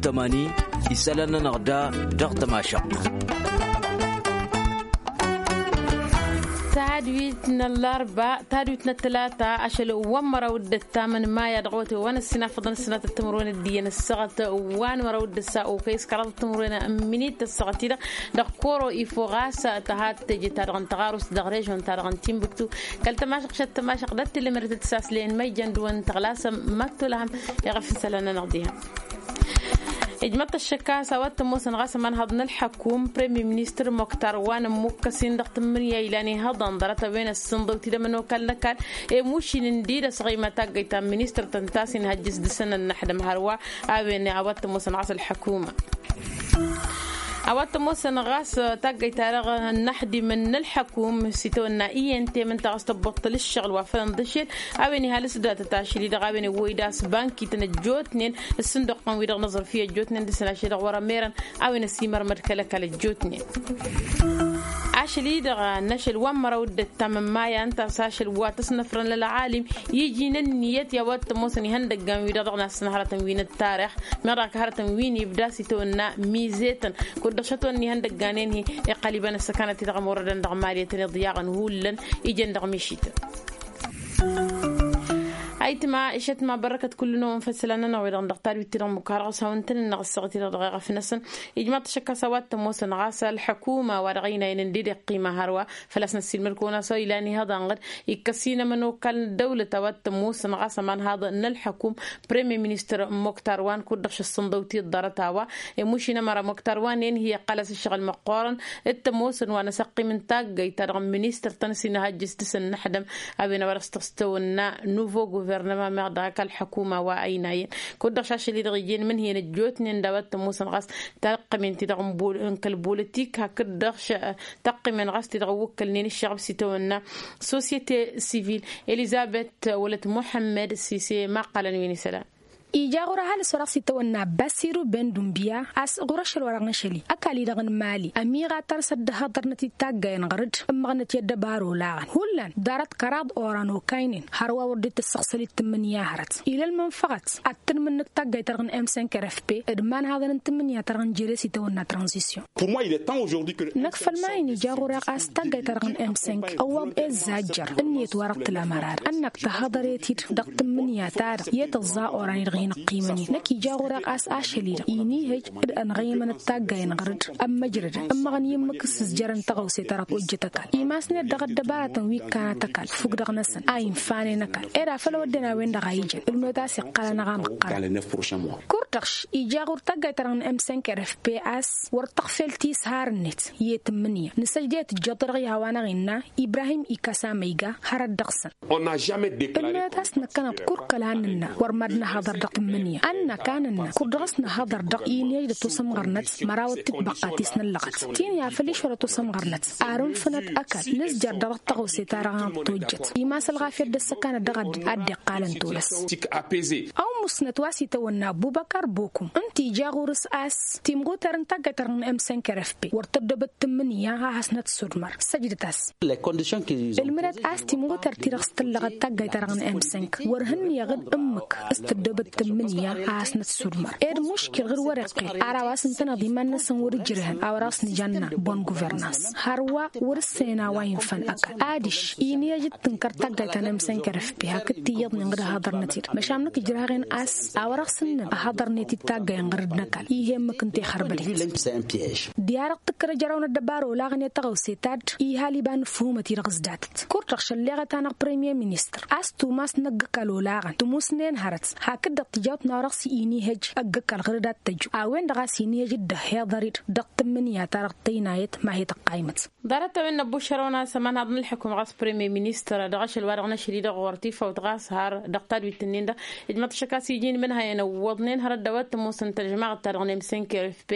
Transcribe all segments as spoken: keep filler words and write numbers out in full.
Tămani isălan-nănăɣ da dăɣ-tămašăɣt. Tadwit n-ăllarba tadwit n-ătlata ašăl wa n-măraw d-ăttam n-maya dăɣ-otăy wa n-ăssinafăḍăn ăssinat ăttămărwen d-iyyăn ăssaɣăt wa n-măraw d-ăssa okăy s-kăraḍ ăttămărwen n-minit ăssaɣăt-i-dăɣ dăɣ-koro ifo ɣas tăhat teje-ta-dăɣ n-tăɣarust dăɣ-režon-ta-dăɣ n-timbuktu kăl-tămašăɣ šăt tămašăɣ d-ăttǝlmărăt d-saslen măjjăn dăɣ-wăn tăɣlasăm măttolăhăm. Iɣăf n-isălan-nănăɣ diha ijmăḍ-t ăššăk a-s a-wa t-ămoosăn ɣas ămanhăḍ n-ălḥăkum premier ministăr moktar wa n-ămmukkăs-in dăɣ-tǝmmǝnǝya ilan ihăḍăn ḍarăt a-wen ăssǝnḍăw-t-dd ămănokal n-ăkall i-mušin ǝndi d-ăsɣăyma taggăyt ta n-ministăr tăn-tasin hăjjǝs dăr-săn ănnăḥdăm hărwa. A-wen a-wa t-ămoosăn ɣas ălḥăkuma a-wa t-ămoosăn ɣas taggăyt-ta-dăɣ ănnăḥdimăn n-ălḥăkum s-itawănna i-ente mǝnta ɣas tăbbuṭṭăl ǝššăɣǝl wa fălăn d-ašel. A-wen ihalǝs datăt ašăl-i-dăɣ a-wen iwwăy d-asbankităn ăjjootnen ǝssǝnduqqăn-wi-dăɣ n-aẓrǝfi ăjjootnen dăr-săn ašăl-i-dăɣ wăr-ămerăn. A-wen ăsimărmăd kăl-ăkall ăjjootnen ašăl-i-dăɣ n-ašăl wa n-măraw d-ăttam n-maya ǝnta a-s ašăl wa tăsnăfrăn lălɣalim iji n-ǝnniyăt i-a-wa t-ămoosăn ihăndăggan-wi-dăɣ dăɣ-nassăn hărătăn wi n-ăttarix. Meɣ dăɣ-ak hărătăn wi n-ibda s-itawănna mizetăn kud-dăɣ šătwănna ihăndăgganen-hi iqqăl iba n-ăssăkanăt-i-dăɣ ămorădăn dăɣ-maliyătăn iḍyaɣăn hullăn ijăn dăɣ-mišităn. Ayǝtma išătma bărrăkăt kull-năwăn făll-isălan-nănăɣ wi-dăɣ dăɣ-tadwit-ti-dăɣ n-mukarăɣ s-hawăn-tăn-ǝnneɣ ăssaɣăt-i-dăɣ dăɣ-eɣăf-năsăn. Ijmaḍ-t ašăk a-s a-wa t-ămoosăn ɣas ălḥăkuma wa dăɣ-ăynayăn ǝndi d-iqqima hărwa făl-a-s năssiilmăd-kăwăn a-s ilan ihăḍa n-ɣǝd ikkăs-in ămănokal n-dăwlăt a-wa t-ămoosăn ɣas ămanhaḍ n-ălḥăkum premier ministăr moktar wa n-kud-dăɣ šăssănḍăw-t-dd ḍarăt a-wa. Imuš-in ămăra moktar wa n-enhi iqqăl-as ǝššăɣǝl măqqoorăn d-tămoosăn wa n-asăqqim n-taggăyt-ta-dăɣ n-ministăr-tăn s-inhăjjǝs dăr-săn n-ăḥdăm. A-wen a-wa dăɣ-s tăɣstăwănna nuvo guvernăma meɣ dăɣ-ak ălḥăkuma wa ăynayăn kud-dăɣ šašăl-i-dăɣ ijăn mǝnhǝyăn ăjjootnen d-a-wa t-ămoosăn ɣas taqqămen-ti-dăɣ n-kăl-bolotik hakd-dăɣ taqqămen ɣas ti-dăɣ ǝwwǝkkălnen ǝššăɣăb s-itawănna sosyete sivil elizabet wălăt muḥămmăd sise ma qqălăn wi n-isălan. Ija ɣur-ăhalǝs wa dăɣ-s itawănna basiru ben dumbiya a-s ɣur-ašăl wa dăɣ-năšăl-i ăkall-i-dăɣ n-mali ămiɣatăr s-ăddăhaḍărnăt-dd taggay n-ɣăr-dd ǝmmăɣnăt i-ăddăbar olaɣăn hullan ḍarăt kăraḍ oran okaynen hărwa wăr dd-tǝssăɣsăl-dd tǝmmǝnǝya hărăt. Ila ălmănfăɣăt ad-tǝnmǝnnǝk taggayt-ta-dăɣ n-m cinq r f p d-imanhaḍăn n-tǝmmǝnǝya-ta-dăɣ n-jere s-itawănna tranzisyon. Năkk făll-ma-in ija ɣur-e a-s taggayt-ta-dăɣ n-m cinq ăwwaḍ e ǝzzajjăr ǝnniyăt wa dăɣ-tǝla mărar ănnăk tăhhăḍăret-dd dăɣ-tǝmmǝnǝya-ta-dăɣ i-tăẓẓa oran-i-dăɣ hin-ăqqimăn-in năkk ija ɣur-e a-s ašăl-i-dăɣ inihăj d-ănɣăymănăt taggay n-ɣăr-dd ămmăjrădăn ǝmmăɣăn i-ǝmmǝk s-ǝzjărăn tăɣawse-ta-dăɣ tojjăt ăkall imasnet dăɣ-ăddăbaratăn wi ǝkkanăt ăkall fukk dăɣ-năsăn a infanen ăkall ed afăl a wădden a-wen-dăɣ a ijăn ǝlmăwet a-s iqqăl anăɣ amăqqăr. Kurdăɣš ija ɣur-taggayt-ta-dăɣ n-m cinq r f p a-s wăr tăɣfel tishar-net i-tǝmmǝnǝya nǝsăjdăyăt ǝjjăḍ-i-dăɣ i-a-wa-năɣ innă ibrahim ikasa ma iga hărăt dăɣ-săn. Ǝlmăyăt a-s năkkăneḍ kurkăl a nǝnnă wăr mad-năhăḍăr dăɣ-tǝmmǝnǝya a nǝnnă ka nǝnnă kurdăɣ a-s năhăḍăr dăɣ-inhăj d-ătosămɣărnăt mărawăt tibăqqa ti s-năllăɣăt tini afăl išwăr ătosămɣărnăt ar ǝnfǝnăt ăkall nǝzjăr dăɣ-tăɣawse-ta-dăɣ a tojjăt imas ălɣafyăt d-ăssăkanăt dăɣ-addǝn ad-dd-iqqalăn tolăs. Awǝmmusnăt wa s-itawănna ăbubăkar bokum ǝnta ija ɣur-s a-s timɣuter n-taggayt-ta-dăɣ n-m cinq r f p wăr tăddobăt tǝmmǝnǝya a hasnăt sudmăr săjdăt-as. Ǝlmǝdăt a-s timɣuter-ti-dăɣ s-tǝllăɣăt taggayt-ta-dăɣ n-m cinq wăr hǝnnǝyăɣ d-ǝmmǝk s-tăddobăt tǝmmǝnǝya a hasnăt sudmăr ed muškil ɣǝr wăr-iqqel ar a-wa s-ǝntăneḍ iman-năsăn wăr-ǝjrăhăn a-wa dăɣ-s nǝjanna bonn guvernans hărwa wăr-ǝssǝnen a-wa infăn ăkall adiš inhăj d-tǝnkăr taggayt ta n-m cinq r f p hakd tiyyăḍnen d-ăhhăḍărnăt-dd măšan năkk ǝjrăhăɣ-en a-s a-wa dăɣ-s ǝnnăn ăhhăḍărnet-dd taggay n-ɣăr-dd n-ăkall ih' emmǝk ǝnta ixărbăd-it. Diha-dăɣ tǝkkăr ejăraw n-ăddăbar olaɣăn i-tăɣawse ta dd-ihal iba n-ǝfhumăt-i-dăɣ ǝzdatăt kurt-dăɣ šălleɣăt-anăɣ premier ministăr a-s tumas n-ăgg-ăkall olaɣăn tǝmusnen hărăt hakd-dăɣ tǝjawt n-a-wa dăɣ-s inihăj ăgg-ăkall ɣǝr-dd ad-t-ăju a-wen-dăɣ a-s inihăj d-ăhhiḍăr-dd dăɣ-tǝmmǝnǝya-ta-dăɣ tăynayăt ma he-tăqqaymăt. Ḍarăt-a-wen năbbušărăwăn a-s ămanhaḍ n-ălḥukǝm ɣas premier ministăr dăɣ-ašăl wa dăɣ-năšli dăɣ-ɣur-tifawt ɣas har dăɣ-tadwit-nin-dăɣ ijmăḍ-t ašăk a-s iji n-imǝnhăyăn ǝwwăḍnen hărăt d-a-wa t-ămoosăn tăžmaɣăt-ta-dăɣ n-m cinq r f p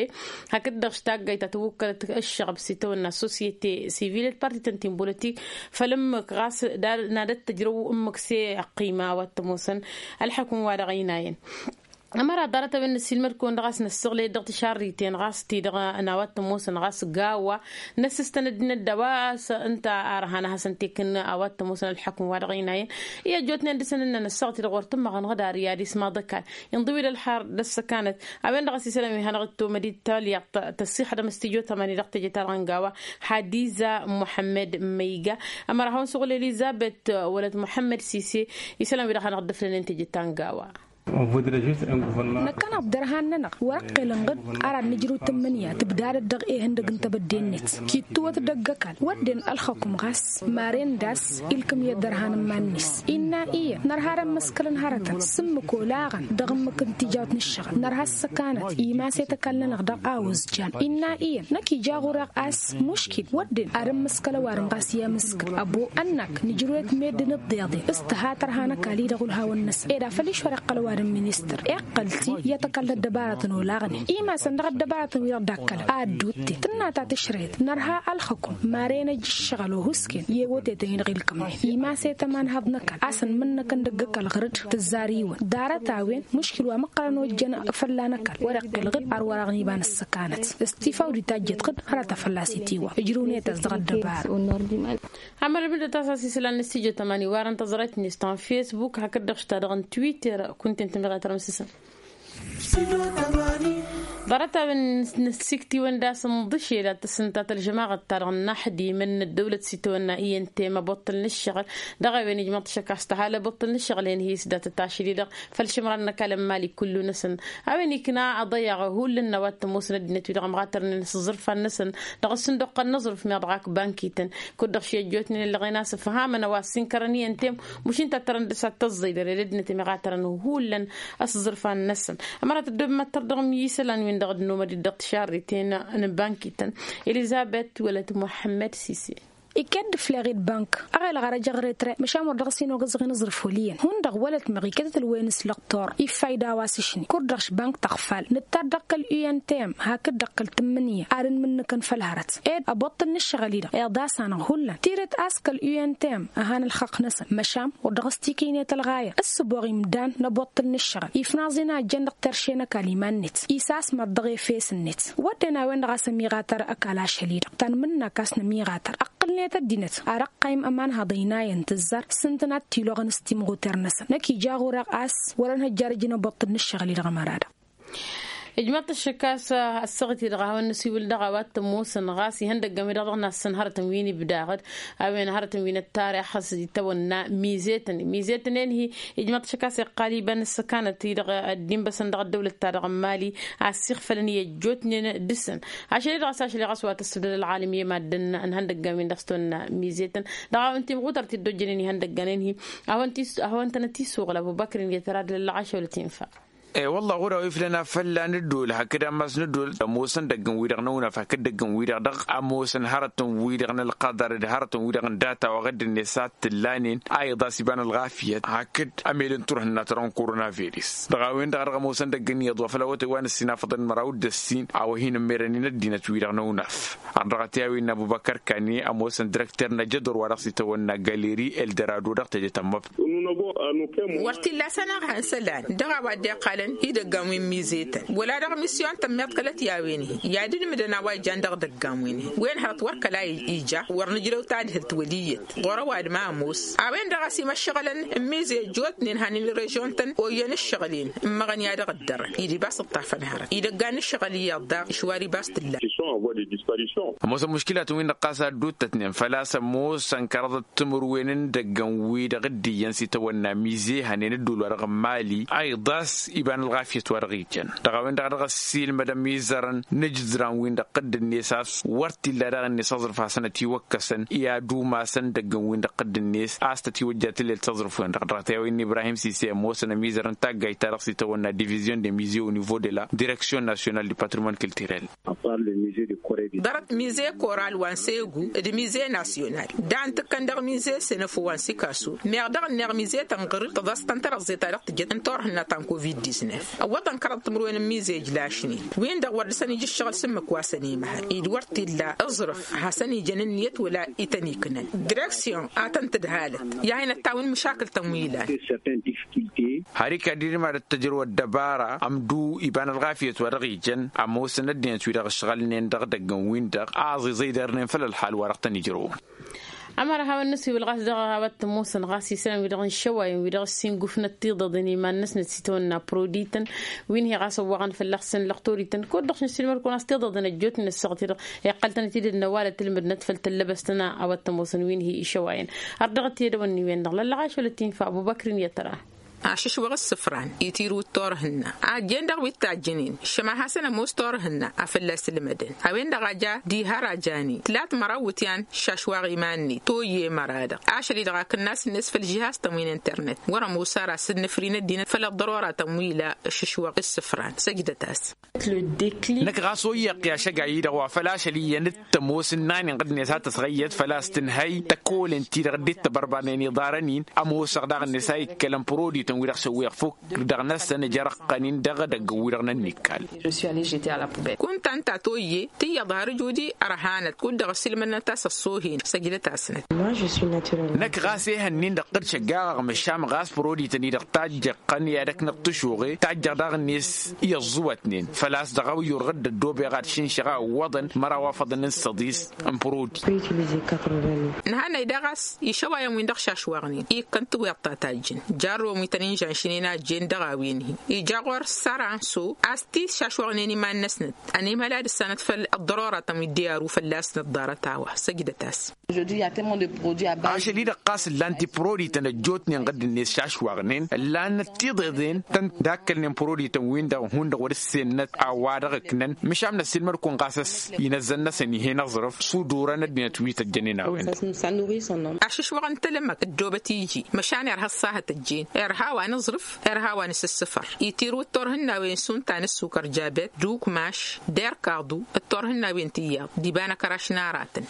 hakd-dăɣ taggayt ta tǝwwǝkkălăt ǝššăɣăb s-itawănna sosyete sivil d-partităn ti n-bolotik făll-ǝmmǝk ɣas d-ad-tăjrăw ǝmmǝk s-e-ăqqima a-wa t-ămoosăn ălḥukǝm wa dăɣ-ăynayăn. Ămăra ḍarăt a-wen năssiilmăd-kăwăn dăɣ-a-s năssiɣlăy dăɣ-tišarriten ɣas ti-dăɣ n-a-wa t-ămoosăn ɣas gawa. Năssǝstănăd-in ădda a-wa s-ǝnta a ărhan ad-hasăn-t-ikǝn a-wa t-ămoosăn ălḥukǝm wa dăɣ-inayăn. I-ăjjootnen dăɣ-săn ǝnnăn ăssaɣăt-i-dăɣ wăr tǝmmăɣăn ɣǝdar i-ad-ismaḍ ăkall inḍǝwǝd ălḥar d-ăssăkanăt. A-wen-dăɣ a-s isălan wi hanăɣ-dd-tomăd i-talyaḍt tăssixdăm s-tijot amani dăɣ-teje-ta-dăɣ n-gawa. Hadiza muḥămmed măyga. Ămăra hawăn-suɣǝl elizabet wălăt muḥămmed sise. Isălan wi-dăɣ hanăɣ-dd-ǝflănen teje ta n-gawa. Năkkăneḍ d-ărhan-nănăɣ wăr-ăqqel n-ɣǝd. Ara n-nǝjrǝw tǝmmǝnǝya tǝbdadăd dăɣ-ehăndăg n-tebădde-net kittǝwăt dăgg-ăkall wădden ălxăkum ɣas maren d-a-s ilkǝm i-ăddărhan n-iman-net. Innă iyyăn nărha ad-ămmăskălăn hărătăn s-ǝmmǝk olaɣăn dăɣ-ǝmmǝk n-tijawt n-ǝššăɣǝl nărha ăssăkanăt imaset ăkall-nănăɣ dăɣ-a ozjan. Innă iyyăn năkk ija ɣur-eɣ a-s muškil wădden ad-ămmăskăl ăwadǝm ɣas i-amǝskăl ăbo ănnak nǝjrǝw-et meddǝn ǝḍḍeḍen s-tǝha tărha n-ăkall-i dăɣ-ulhawăn-năsăn ed a făl išwăr iqqăl ăwadǝm ministăr iqqăl-t-i i-ad-t-ăkall d-ăddăbarătăn olaɣnen imasăn dăɣ-ăddăbarătăn wi-dăɣ dd-akkălăn a ădduutten tǝnna ta tǝšrăyăt nărha ălxăkum maren ăj ǝššăɣǝl ohǝsken i-ewătetăn-i-dăɣ ilkǝmnen imaset ămanhăḍ n-ăkall a-s ănmǝnnăkăn dăgg-ăkall ɣăr-dd tǝzzar-iwăn ḍarăt-a-wen muškil wa măqqărăn ojjăn fălla n-ăkall wăr-iqqǝl ɣǝd ar wăr-aɣnibăn ăssăkanăt. S-tifawdit ta ǝjjăt ɣǝd hărăt a fălla-s itiwăḍ ǝjrǝwnet a-s dăɣ-ăddăbarăt. Amăr ǝbdăt a-s a-s isălan n-ăssijăt ămani warăn tăẓrayt-net ta n-fesbuk hakd-dăɣ š-ta-dăɣ n-twitter kunta ǝnta ămiɣatărăm s-isăn. Ḍarăt-a-wen n-ăssiktiwăn d-a-s ǝnḍǝšel ad-tăssǝntat ălžămaɣăt-ta-dăɣ n-inaxdimăn n-ăddăwlăt s-itawănna i-ăntem ăbuṭṭǝl n-ǝššăɣǝl. Dăɣ-a-wen ijmăḍ-t šăkk a-s tăha ălăbuṭṭǝl n-ǝššăɣǝl-en hi-s datăt ašăl-i-dăɣ făll-išǝmran n-ăkall n-imali kullu-năsăn. A-wen ikna aḍăyyaɣ hullan n-a-wa t-ămoosăn ăddinăt-wi-dăɣ ămɣatărnen s-ǝẓẓărfan-năsăn dăɣ-ăssǝnduqqăn n-aẓrǝf meɣ dăɣ-ak bankităn. Kud-dăɣ ši ăjjootnen ǝllăɣen a-s ǝfhamăn a-wa ăssinkărăn i-ăntem mušin tattărăn dăɣ-s ad-tăẓẓăy dăr-e d-ăddinăt ămiɣatărăn hullan s-ǝẓrǝfan-năsăn. Ămăra tăddob măttăr dăɣ-mi isălan-win-dăɣ ădnomăd-dd dăɣ-tišarriten n-bankităn. Elizabet wălăt muḥămmăd sise. Iket d-afleɣ-i d-bank ăɣelăɣ arăjăɣ retre măšan wăr dăɣ-s hin-ogăẓăɣ inǝẓrǝf wăl' iyyăn hundăɣ wălăt meɣ iket d-ălwăyăn s-lăqtor ifayda a-wa s-ašni kud-dăɣ š-bank tăɣfal nǝttar dăɣ-kăl-u n t m hakd-dăɣ kăl-tǝmmǝnǝya ad-ǝnmǝnnǝkăn făll-hărăt ed ăboṭṭǝl n-ǝššăɣǝl-i-dăɣ iḍas-anăɣ hullan tirǝt a-s kăl-u n t m ăhan ălxăqq-năsăn măšan wăr dăɣ-s tikǝynet ălɣayăt s-sǝboɣ imdan n-ăboṭṭǝl n-ǝššăɣǝl ifnaẓ-in a ǝjjăn dăɣ-terše n-ăkall iman-net isasmăḍ dăɣ-efes-net. Wădden a-wen-dăɣ a-s ămiɣatăr ăkall ašăl-i-dăɣ tăn-mǝnnak a-s nămiɣatăr ǝqqǝlnet ăddinăt ad-ăqqayǝm ămanhăḍ ăynayăn tǝzzar s-ǝntănat tiloɣăn s-timɣuter-năsăn năkk ija ɣur-eɣ a-s wăr-ănhăjjarăj inăboṭṭǝl n-ǝššăɣǝl-i-dăɣ ămăra-dăɣ. Ijmăḍ-t ăššăk a-s ăssaɣǝt-i-dăɣ a hawăn-năsiwǝl dăɣ-a-wa t-ămoosăn ɣas ihăndăggăn-wi-dăɣ dăɣ-nassăn hărătăn wi n-ibdaɣ-dd a-wen hărătăn wi n-ăttarix a-s itawănna mizetăn mizetăn-en-hi. Ijmăḍ-t ăššăk a-s iqqal iba n-ǝssăkanăt-i-dăɣ ăddimbăsăn dăɣ-ăddăwlăt-ta-dăɣ n-mali a ăssiixfălăn i-ăjjootnen dăɣ-săn. Ašăl-i-dăɣ a-s ašăl i-ɣas wa tăssǝbdăd ălɣalăm i-maddǝn n-ihăndăggan-win-dăɣ s-tawănna mizetăn dăɣ-a-wen timɣutărt i-dd-ojjănen ihăndăggan-en-hi. A hawăn-tănăt-isuɣǝl ăbubăkr-in i-tăra d-lăllăɣ ašăl tinfa. E-wălla ɣur-a-wa iflăn a fălla n-ăddol hakd ammas n-ăddol ămoosăn dăgg-n-wi-dăɣ n-ăwnaf hakd dăgg-n-wi-dăɣ dăɣ-ămoosăn hărătăn-wi-dăɣ n-ălqăḍăr d-hărătăn-wi-dăɣ n-data wa ɣǝdd-net a t-tǝllanen a iḍas iba n-ălɣafyăt hakd ămelăn turhǝnna tărăn koronavirus dăɣ-a-wen-dăɣ a dăɣ-ămoosăn dăgg-ǝnniyăḍ wa făl awătay wa n-ăssinafăḍăn măraw d-ăssin a-wa hin-ǝmmerăn-in ăddinăt-wi-dăɣ n-ăwnaf. Ardăɣăt i-a-wen n-abubăkăr kani ămoosăn dirăkter n-ajădor wa dăɣ-s itawănna galeri eldărado dăɣ-teje tămmăbt. Wăr t-illa a-s ănɣăhăn isălan dăɣ-a-wa dd-iqqalăn idăggan wi n-mizetăn wăla dăɣ-misyon tămmiḍkălăt i-a-wen-hi i-ad-ǝlmǝdăn a-wa ijan dăɣ-idăggan wi-nin wen hărăt wăr kăla ija wăr nǝjrăw tadhǝlt wăl' iyyăt ɣur-ăwadǝm a ămoos. A-wen-dăɣ a-s imăššăɣǝlăn n-mize ăjjootnen han-in-irăžyon-tăn oyyăn ǝššăɣǝl-en ǝmmăɣăn i-ad-dăɣ-dd-ărrăn-i d-ibas ǝṭṭafăn hărăt idăggan n-ǝššăɣǝl iyyăḍ daɣ išwar ibas t-ǝllan. Ămoosăn muškilatăn-win-dăɣ ɣas a dd-uttătnen făl-a-s ămoosăn kăraḍăt timǝrwen n-idăggan-wi-dăɣ dd-iyyăn s-itawănna mize hănen ăddul wa dăɣ-n mali a iḍas iba n-ălɣafyăt wa dăɣ-ijăn dăɣ-a-wen-dăɣ a dăɣ-ăssiilmădăm izărăn n-ijǝzran-win-dăɣ ɣǝdd-net a-s wăr t-illa daɣ-net aẓrǝf hasăn-ătiwăkkăsăn i-ad-umasăn idăggan-win-dăɣ ɣǝdd-net a-s tătiwăjja tǝllelt s-aẓrǝf-wen-dăɣ dăɣ-tewăyăn n-ibrahim sise ămoosăn ămizărăn taggajt ta dăɣ-s itawănna divizyon de mize au nivo de la direksyon nasyonal du patrimoine culturel. Ḍarăt mize koral wa n-segu d-mize nasyonal. Dan tǝkkăn dăɣ-mize senăfo wa n-sikaso meɣ dăɣ-ǝnneɣ mize tănɣăr tǝḍăstăn tărăẓẓe ta dăɣ-tǝjăt n-turhǝnna ta n-covid-disnef. Ăwwăḍăn kăraḍ timǝrwen n-mize ǝjlašnen wi-dăɣ wăr dăr-săn ija ǝššăɣǝl s-ǝmmǝk wa săn-imăhăl-i d-wăr t-illa aẓrǝf hasăn-ijăn ǝnniyăt wăla ităn-iknăn direksyon a tăn-tǝdhalăt i-ad-hin-ăttawăn măšakǝl-tăn wi ilan. Har ikad-dd mad-ăttăjrăw ăddăbara ămdu iba n-ălɣafyăt wa dăɣ-ijăn ămoosăn ăddinăt wi-dăɣ ǝšɣălnen dăɣ-idăggăn-win-dăɣ a ăẓiẓăydărnen făll-ălxal wa dăɣ-tăn-ijrăwăn. Ămăra hawăn-nǝswǝy wăl ɣas dăɣ-a-wa t-ămoosăn ɣas isălan wi-dăɣ n-išăwayăn wi-dăɣ ăssiingufnăt tiḍăḍen iman-năsnăt s-itawănna prodităn wi n-hi ɣas ăwwaɣăn fălla-săn lăqtorităn kud-dăɣ šăn s-ilmăr-kăwăn a-s tiḍăḍen ăjjootnen ăssaɣăt-i-dăɣ iqqăl-tăn-ătidăd n-ăwalăt ǝlmǝdnăt făll-tăllăbăst-tăn a-wa t-ămoosăn wi n-hi išăwayăn. Ar dăɣ-t i-edăwănni-wen-dăɣ lăllăɣaš wăla t-infa ăbubăkr-in i-tăra. Ašǝšwăɣ ǝssǝfran itirǝw d-turhǝnna a ăjjeen dăɣ-wi t-tajjǝnen šăma hasăn-ămoos turhǝnna a fălla-s ǝlmădăn a-wen-dăɣ a ja diha rajani tǝlat măraw wǝtyan šašwaɣ iman-net toyye măra-dăɣ ašăl-i-dăɣ a kǝnnas-net făll-žihaz-tăn wi n-internet wăr-ămoos ara s-dd-nǝfri n-ăddinăt făll-ăḍḍăroratăn wi ila ašǝšwăɣ ǝssǝfran săjdăt-as. Năkk ɣas oyyăɣ-t i-ašăgay-i-dăɣ wa făl ašăl iyyăn d-tămoos ǝnnan inɣǝd-net a tăsɣăyyăt făl-a-s tǝnhăy tăkkolen-ti-dăɣ dd-tăbărbarnen iḍarăn-in. Ămoosăɣ daɣ-net a ikkălăn prodităn-wi-dăɣ šăwweɣ fukk dăɣ-năsăn ǝjărăɣ-tăn-in dăɣ-edăgg-wi-dăɣ n-ănnikkal. Kunta ǝnta a toyye tǝyyăḍ har ǝjudi ărhanăt kud-dăɣ ăsilmădnăt a-s ăṣṣoohen săjdăt-asnăt. Năkk ɣas ehăn-in-dăɣ tăt-šăggaɣăɣ măšan ɣas prodităn-i-dăɣ tajjăɣ-tăn i-ad-ăkk năɣ-tǝšuɣe tajjăɣ daɣ-net i-ăẓẓuwătnen făl-a-s dăɣ-a-wa yurɣǝd ăddoobeɣ ad-šǝnšăɣ a ǝwwăḍăn măraw afăḍăn n-săḍis n-prodit. Nǝhannăy daɣ a-s išăwayăn-win-dăɣ šašwaɣnen ikkăn tiweḍt ta tajjǝn jarrăwăn wi tăn-inžanšnen a ăjjeen dăɣ-a-wen-hi ija ɣur-s săranso a-s t-išašwaɣnen iman-năsnăt ănimhăl ad-ǝssanăt făll-ăḍḍăroratăn wi dd-iyaru fălla-s nǝḍḍarăt a-wa săjdăt-as. Ašăl-i-dăɣ ɣas ǝllan-t i-prodităn ăjjootnen ɣǝdd-net šašwaɣnen ǝllanăt tiḍeḍen tăn-dd-akkălnen prodităn-win-dăɣ hundăɣ wăr-ǝssennăt a-wa dăɣ-ǝknăn măšan năssiilmăd-kăwăn ɣas a-s inăzzăn-năsăn ih'-en aẓrǝf s-udurăn ăddinăt wi tăjjănen a-wen-dăɣ. Ašǝšwăɣ n-telămmăk ăddoobăt iji măšan irha ăṣṣahăt ăjjeen irha a-wa n-aẓrǝf irha a-wa n-asǝssǝfăr itirǝw d-turhǝnnawen šund ta n-ăssukăr jabet d-ukmaš d-erkaḍu d-turhǝnnawen tiyyăḍ d-iba n-akăraš n-aratăn.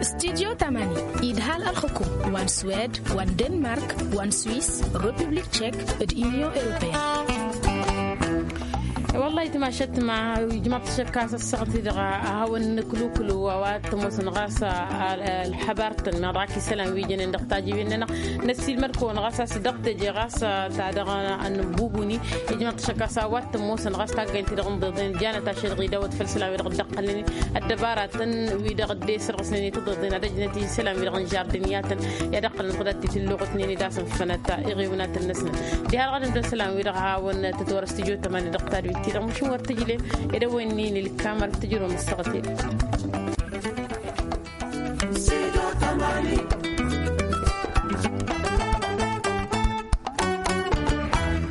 Studyo tamani idhal ălxukum wa n-swed wa n-denmark wa n-swis republik tšek d-inyon europeyăn. Wăllah itmašăt ma ijmaḍ tăšăkka s-ăssaɣt-i-dăɣ a hawăn-nǝklukǝlu a-wa t-ămoosăn ɣas ălxăbar-tăn meɣ dăɣ-ak isălan wi jănen dăɣ-tajǝwen-nănăɣ. Năssiilmăd-kăwăn ɣas a-s dăɣ-teje ɣas ta dăɣ-anǝbbubuni ijmaḍ tăšăkka s-a-wa t-ămoosăn ɣas taggăynt-i-dăɣ n-iḍeḍen janăt ašăl dăɣ-idawăt făll-isălan wi-dăɣ dd-ăqqălnen ăddăbaratăn wi-dăɣ dd-esărɣǝsnen i-tiḍeḍen ad-ăjnăt i-isălan wi-dăɣ n-žardǝnyatăn i-ad-ăqqălăn ɣǝdat-i tǝlluɣǝtnen-dd a-s ǝnfănăt iɣewnatăn-năsnăt. Diha dăɣ-ad-ǝmdăr isălan wi-dăɣ a hawăn-tăt-wăr s-tǝjot tămani dăɣ-tadwit-ti-dăɣ măšin wăr tǝjle ed ăwănni n-ilkamăr tǝjrǝwăm ăssaɣăt-e-dăɣ.